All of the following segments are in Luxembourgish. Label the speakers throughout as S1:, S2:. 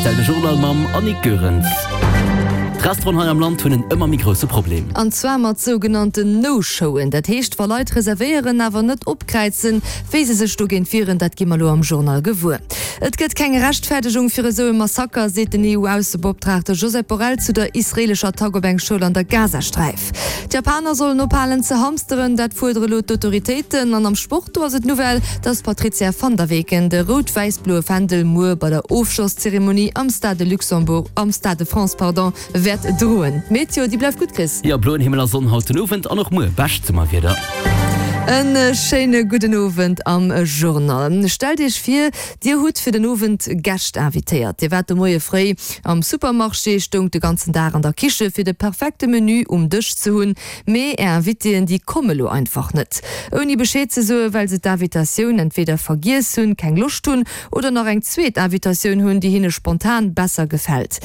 S1: Rtl de Journal mam Annick Goerens. D'Restauranten hei am Land hunn en ëmmer méi grousse Problem.
S2: An zwar mat sougenannten No-Showen. Dat heescht, wa Leit reservéieren, awer net opkräizen. Wéi se sech dogéint wieren, dat gi mer elo am Journal gewuer. Et gëtt keng Rechtfäerdegung fir esou e Massaker, seet den EU-Aussebeoptraagte Josep Borrell zu der israeelescher Attack op eng Schoul an der Gazasträif. D'Japaner sollen ophalen ze hamsteren, dat fuerdere lo d'Autoritéiten. An am Sport, do ass et d'Nouvelle, datt d'Patrizia van der Weken de rout-wäiss-bloe Fändel muer bei der Ofschlosszeremonie am Stade de Luxembourg, am Stade de France, pardon, wäert droen. D'Meteo, déi bleift gutt, Chris.
S1: Jo, bloen Himmel a Sonn haut den Owend an och muer bescht Summerwieder.
S2: E schéine gudden Owend am Journal. Stellt Iech vir, Dir hutt fir den Owend Gäscht invitéiert. Dir waart de Moie fréi am Supermarché, stoungt de ganzen Dag an der Kiche fir de perfekte Menü um Dësch ze hunn. Mee Är Invitéen, déi komme lo einfach net. Ouni Bescheed ze soen, well se d'Invitatioun entweder vergiess hunn, keng Loscht hunn oder nach eng zweet Invitatioun hunn, déi hinne spontan besser gefält.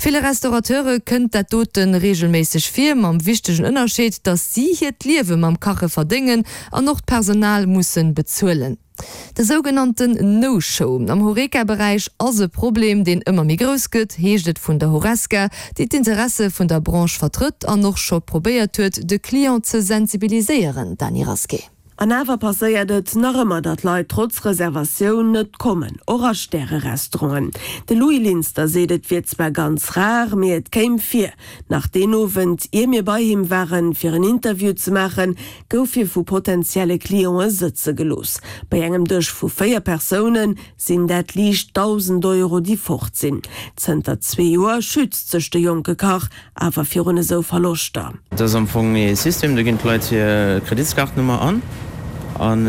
S2: Ville Restaurateure kënnt dat dote reegelméisseg vir, mam wichtegen Ënnerscheed, datt si hiert Liewe mam Kache verdéngen an och d'Personal musse bezuelen. De sougenannten No-Show am Horeca-Beräich ass e Problem, deen ëmmer méi grouss gëtt, heescht et vun der Horesca, déi d'Interesse vun der Branche vertrëtt an och scho probéiert huet, de Client ze sensibiliséieren. Dany Rasqué.
S3: An awer passéiert et nach ëmmer, datt Leit trotz Reservatioun net kommen, och a Stäre-Restauranten. De Louis Linster seet, et wier zwar ganz rar, mee et kéim vir. Nach deen Owend, ier mir bei him waren, fir en Interview ze maachen, gouf hie vu potentielle Cliente sëtze gelooss. Bei engem Dësch vu 4 Persoune sinn dat liicht 1.000 Euro, déi fort sinn. Zënter zwee Joer schützt sech de jonke Kach awer virun esou Verloschter.
S4: Dat ass am Fong ee System, do ginn d'Leit hir Kreditskaartnummer an an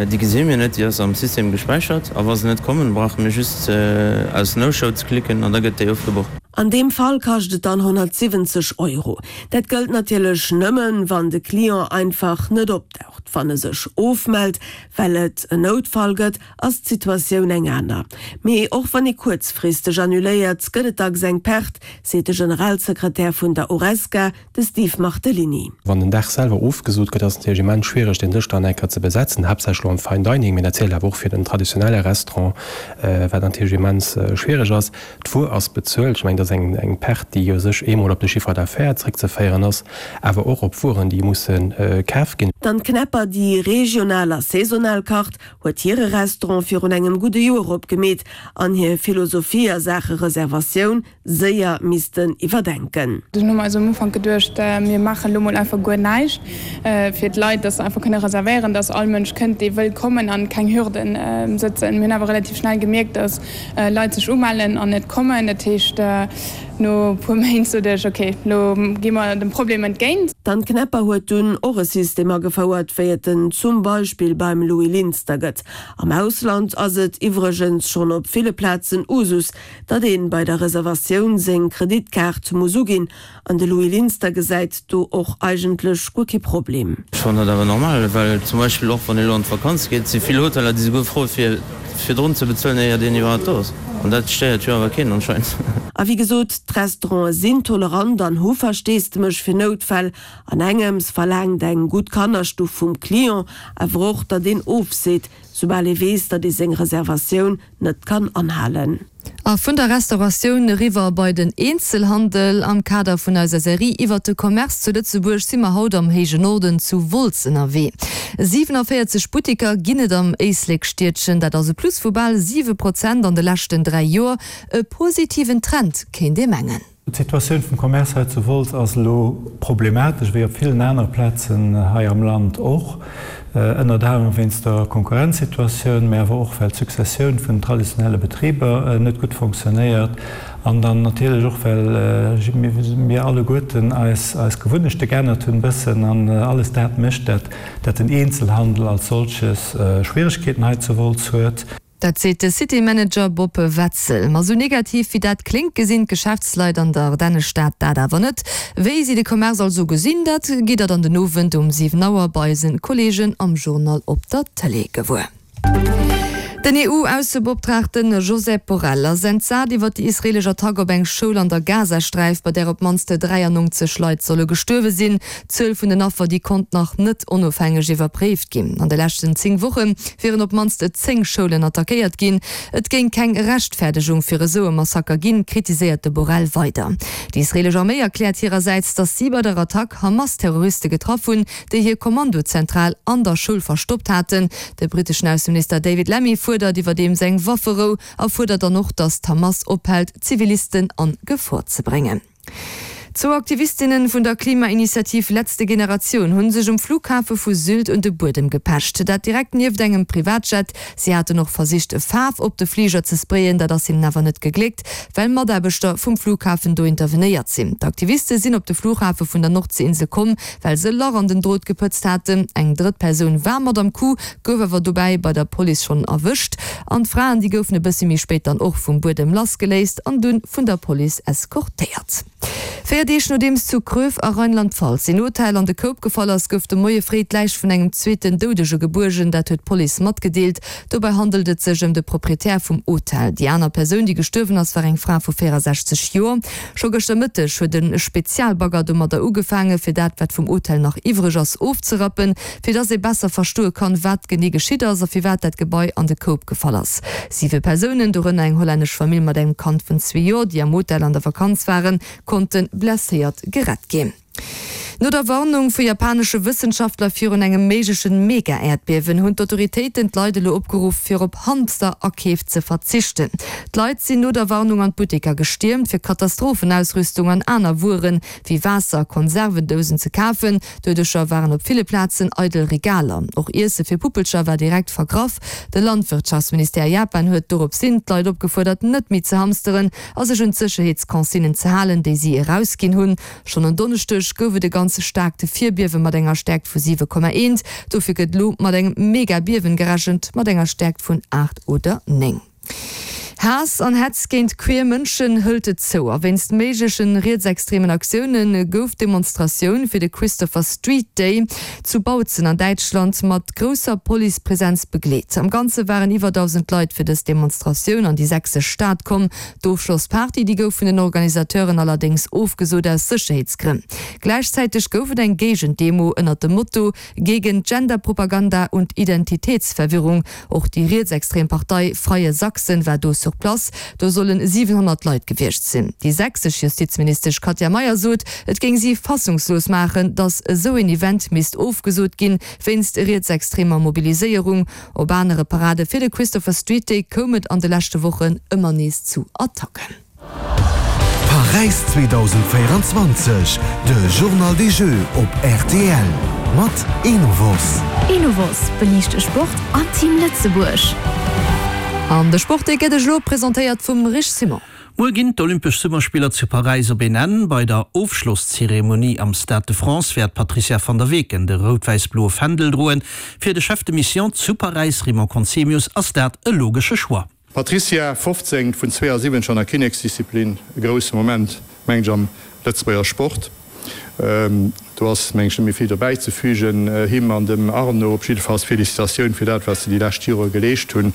S4: déi gesi mir net, déi ass am System gespäichert a wa se net kommen, brauche mir just aus No Show ze klicken an da gëtt déi ofgebucht.
S3: An deem Fall kascht et dann 170 Euro. Dat gëllt natierlech nëmmen, wann de Client einfach net opdaucht. Wann e sech ofmellt, well et en Noutfall gëtt, ass d'Situatioun eng aner. Mee och wann ee kuerzfristeg annuléiert, gëtt et dacks eng Perte, seet de Generalsekretär vun der Horesca, de Steve Martellini.
S5: Wann den Dag selwer ofgesot gëtt, ass et natierlech immens schwiereg, deen Dësch dann eng Kéier ze besetzen, haaptsächlech elo am Fine Dining, mee dat zielt awer och fir den traditionelle Restaurant, wat natierlech immens schwiereg ass. D'Wuer ass bezuelt. Ech mengen, dat ass eng Perte, déi u sech eemol op de Chiffre d'affaires zréckzeféieren ass, awer och op Wueren, déi musse kaf ginn.
S3: D'Anne Knepper, déi regional a saisonal kacht, huet hire Restaurant virun engem gudde Joer opgemeet an hir Philosophie a Saache Reservatioun séier missten iwwerdenken.
S6: Dunn hu mer eis um Ufank geduecht, mir maachen elo mol einfach guer näischt fir d'Leit, dass se einfach kënne reservéieren, dass all Mënsch kënnt, dee wëll kommen an keng Hürden sëtzen. Mir hunn awer relativ schnell gemierkt, dass Leit sech umellen an net kommen. Dat heescht, no e puer Méint sot ech, ok, elo gi mer dem Problem entgéint.
S3: D'Anne Knepper huet dunn och e System agefouert, wéi et en zum Beispill beim Louis Linster gëtt. Am Ausland ass et iwwregens schonn op ville Plazen Usus, datt ee bei der Reservatioun seng Kreditkaart muss uginn. An de Louis Linster gesäit do och eigentlech guer kee Problem.
S4: Ech fannen dat awer normal, well zum Beispill och wann ee elo an d'Vakanz geet, si vill Hoteller, déi souguer froe fir virdrun ze bezuelen, éiert een iwwerhaapt do ass. An dat stéiert jo awer keen anscheinend.
S3: A wéi gesot, d'Restaurante sinn tolerant an hu Versteesdemech fir Noutfäll. An engems verlaangt eng gutt Kannerstuff vum Client awer och, datt een ofseet, soubal ee weess, datt ee seng Reservatioun net kann anhalen.
S2: A vun der Restauratioun eriwwer bei den Eenzelhandel. Am Kader vun eiser Serie iwwert de Commerce zu Lëtzebuerg si mer haut am héije Norden zu Wolz ënnerwee. 47 Buttiker ginn et am Éislek-Stiedchen. Dat ass e Plus vu bal 7 Prozent an de leschten 3 Joer. E positiven Trend, kéint ee mengen.
S7: D'Situatioun vum Commerce hei zu Wolz ass elo problematesch, wéi op villen anere Plazen hei am Land och, ënnert anerem wéinst der Konkurrenzsituatioun, mä awer och well d'Successioun vun den traditionelle Betriber net gutt fonctionnéiert an dann natierlech och well mir alleguerten eis eis Gewunnechte geännert hunn e bëssen an alles dat mécht, dat den Eenzelhandel als solches Schwieregkeeten hei zu Wolz huet.
S2: Dat seet de City Manager Bob Wetzel. Ma sou negativ wéi dat kléngt, gesinn d'Geschäftsleit an der Ardennestad dat awer net. Wéi si de Commerce also gesinn, dat gitt der dann den Owend um 7 Auer bei eisen Kolleegen am Journal op der Tëlee gewuer. Den EU-Aussebeoptraagte Josep Borrell ass entsat iwwer déi israeelesch Attack op eng Schoul an der Gazasträif, bei där op d'mannst 93 Leit solle gestuerwe sinn. D'Zuel vun den Affer, déi konnt nach net onofhängeg iwwerpréift ginn. An de leschten 10 Woche wieren op d'mannst 10 Schoulen attackéiert ginn. Et géing keng Rechtfäerdegung fir esou e Massaker ginn, kritiséiert de Borrell weider. Déi israeelesch Arméi erkläert hirersäits, datt si bei der Attack Hamas-Terroriste getraff hunn, déi hir Kommandozentral an der Schoul verstoppt haten. De britteschen Ausseminister David Lammy fuerdert iwwerdeems eng Wafferou a fuerdert dann och, datt d'Hamas ophält, Zivilisten a Gefor ze bréngen. Zwou Aktivistinne vun der Klimainitiativ Letzte Generation hu sech um Flughafe vu Sylt un de Buedem gepecht. Dat direkt nieft engem Privatjet. Si haten och versicht, Faarf op de Fliger ze sprayen, dat ass hinnen awer net gegléckt, well Mataarbechter vum Flughafen do intervenéiert sinn. D'Aktiviste sinn op de Flughafe vun der Nordseeinsel komm, well se e Lach an den Drot gepëtzt haten. Eng drëtt Persoun war mat am Coup, gouf awer dobäi bei der Police schonn erwëscht. An d'Fraen, déi goufen e bëssi méi spéit dann och vum Buedem lassgeléist an dunn vun der Police eskortéiert. 4 Deeg nodeems zu Kröv a Rheinland-Pfalz een Hotel an de Koup gefall ass, gouf de Moie fréi d'Läich vun engem zweeten Doudege gebuergen. Dat huet d'Police matgedeelt. Dobäi handelt et sech ëm de Proprietär vum Hotel. Déi aner Persoun, déi gestuerwen ass, war eng Fra vu 64 Joer. Scho gëschter Mëtteg huet e Spezialbagger domadder ugefaangen, fir dat, wat vum Hotel nach iwwreg ass, ofzerappen, fir dass ee besser verstoe kann, wat genee geschitt ass a firwat dat Gebai an de Koup gefall ass. Siwe Persounen, dorënner eng hollännesch Famill mat engem Kand vun zwee Joer, déi am Hotel an der Vakanz waren, konnte blesséiert gerett ginn. No der Warnung vu japanesche Wëssenschaftler virun engem méigleche Mega-Äerdbiewen hunn d'Autoritéiten d'Leit elo opgeruff, fir op Hamster-Akeef ze verzichten. D'Leit sinn no der Warnung an d'Butteker gestiermt, fir Katastrophenausrüstung an aner Wuere wéi Waasser a Konservendousen ze kafen. Doduercher waren op ville Plazen eidel Regaler. Och Iesse fir Puppelcher war direkt vergraff. De Landwirtschaftsministère Japan huet doropshin d'Leit opgefuerdert, net méi ze hamsteren a sech un d'Sécherheetsconsignen ze halen, déi si erausginn hunn. Schonn en Donneschdeg gouf et e ganz staarkt Virbiewe mat enger Stäerkt vu 7,1. Dofir gëtt elo mat engem Mega-Biewen gerechent mat enger Stäerkt vun 8 oder 9. Haass an Hetz géint queer Mënschen hëlt et zou a wéinst méiglechen rietsextremen Aktioune gouf d'Demonstratioun fir de Christopher Street Day zu Bautzen an Däitschland mat grousser Policepresenz begleet. Am Ganze waren iwwer 1.000 Leit fir dës Demonstratioun an déi sächsesch Stad komm. D'Ofschlossparty, déi gouf vun den Organisateuren allerdéngs ofgesot aus Sécherheetsgrënn. Gläichzäiteg gouf et eng Géigendemo ënnert dem Motto Gegen Genderpropaganda und Identitätsverwirrung. Och déi rietsextrem Partei Freie Sachsen war do sur place. Do solle 700 Leit gewiescht sinn. Déi sächsesch Justizministesch Katja Mayer sot, et géing si fassungslos maachen, datt esou een Event misst ofgesot ginn, wéinst rietsextremer Mobiliséierung. Op anere Parade fir de Christopher Street Day koum et an de leschte Wochen ëmmer nees zu Attacken.
S8: Paräis 2024, de Journal des Jeux op rtl mat Enovos.
S9: Enovos beliicht de Sport an Team Lëtzebuerg.
S2: An de Sport dee gëtt iech elo presentéiert vum Rich Simon.
S10: Muer ginn d'Olympesch Summerspiller zu Paräis op een Enn. Bei der Ofschlosszeremonie am Stade de France wäert d'Patrizia van der Weken de rout-wäiss-bloe Fändel droen. Fir de Chef de Mission zu Paräis, Raymond Conzemius, ass dat e logesche Choix.
S11: D'Patrizia, 15 vun 72 an der Kinneksdisziplin, e grousse Moment, mengen ech, am Lëtzebuerger Sport. Do ass, mengen ech, net méi vill dobäi ze fügen. Him an dem Arnaud op jiddefalls Felicitatioun fir dat, wat se déi lescht Jore geleescht hunn.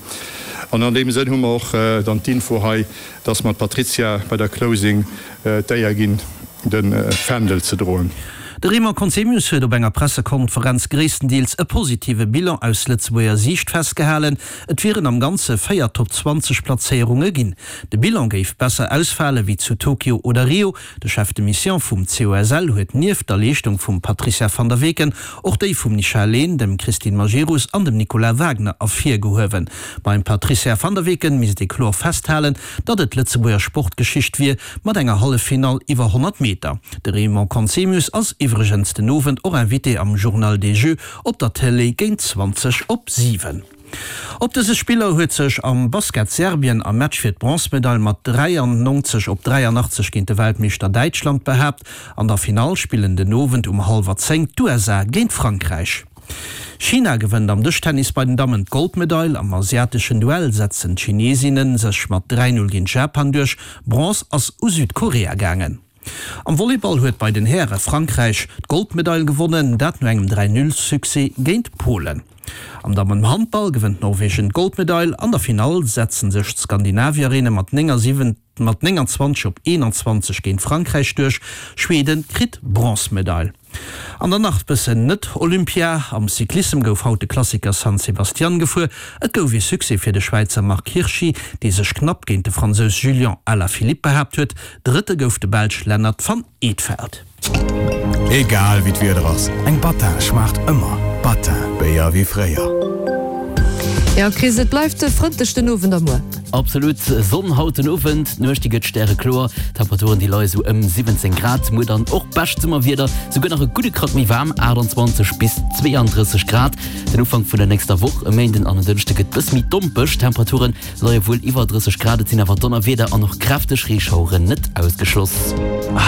S11: An an deem Sënn hu mer och dann d'Info hei, dass mer d'Patrizia bei der Closing d'Éier ginn, de Fändel ze droen.
S10: De Raymond Conzemius huet op enger Pressekonferenz gréisstendeels e positive Bilan aus Lëtzebuerger Siicht festgehalen. Et wieren am Ganze 4 Top 20 Plazéierunge ginn. De Bilan géif besser ausfale wéi zu Tokio oder Rio. De Chef de Mission vum COSL huet nieft der Leeschtung vum Patricia van der Weken och déi vum Nisha Lehn, dem Christine Majerus an dem Nicolas Wagner ervirgehuewen. Beim Patricia van der Weken misst ee kloer festhalen, datt et d'Lëtzebuerger Sportgeschicht wier mat enger Halleffinall iwwer 100 Meter. De Raymond Conzemius ass iwwregens den Owend och Invité am Journal des Jeux op der Télé géint 20 op 7. Op dëse Spiller huet sech am Basket Serbien am Match fir d'Bronzmedail mat 93 op 83 géint de Weltmeeschter Däitschland behaapt. An der Finall spillen den Owend um hallwer 10 d'USA géint Frankräich. China gewënnt am Dëschtennis bei den Dammen d'Goldmedail. Am asiateschen Duell setzen d'Chineesinne sech mat 3, 0 géint Japan duerch. Bronze ass u Südkorea gaangen. Am Volleyball huet bei den Häre Frankräich d'Goldmedail gewonnen, dat no engem 3, 0 Succès géint Polen. Am Dammenhandball gewënnt Norwegen d'Goldmedail. An der Finall setzen sech d'Skandinavierinne mat 29 op 21 géint Frankräich duerch. Schweden kritt d'Bronzmedail. An dann nach bëssen net-Olympia, Am Cyclissem gouf haut de Klassiker San Sebastian gefuer. Et gouf ee Succès fir de Schwäizer Marc Hirschi, dee sech knapp géint de Fransous Julian Alaphilippe behaapt huet. Drëtte gouf de Belsch Lennert van Eetvelt.
S8: Egal wéi d'Wieder ass, eng Battin schmaacht ëmmer. Battin, Béier wéi fréier.
S2: Jo Chris, et bleift frëndlech den Owend a muer.
S1: Absolut Sonn haut den Owend, d'Nuecht déi gëtt stärekloer, Temperaturen déi leie sou ëm 17 Grad. Muer dann och bescht Summerwieder, souguer nach e gudde Krack méi waarm, 28 bis 32 Grad. Den Ufank vun der nächster Woch, e Méinden an en Dënschde gëtt bëss méi dompeg, Temperature leie wuel iwwer 30 Grad, et sinn awer Donnerwieder an och kräfteg Reeschaueren net ausgeschloss.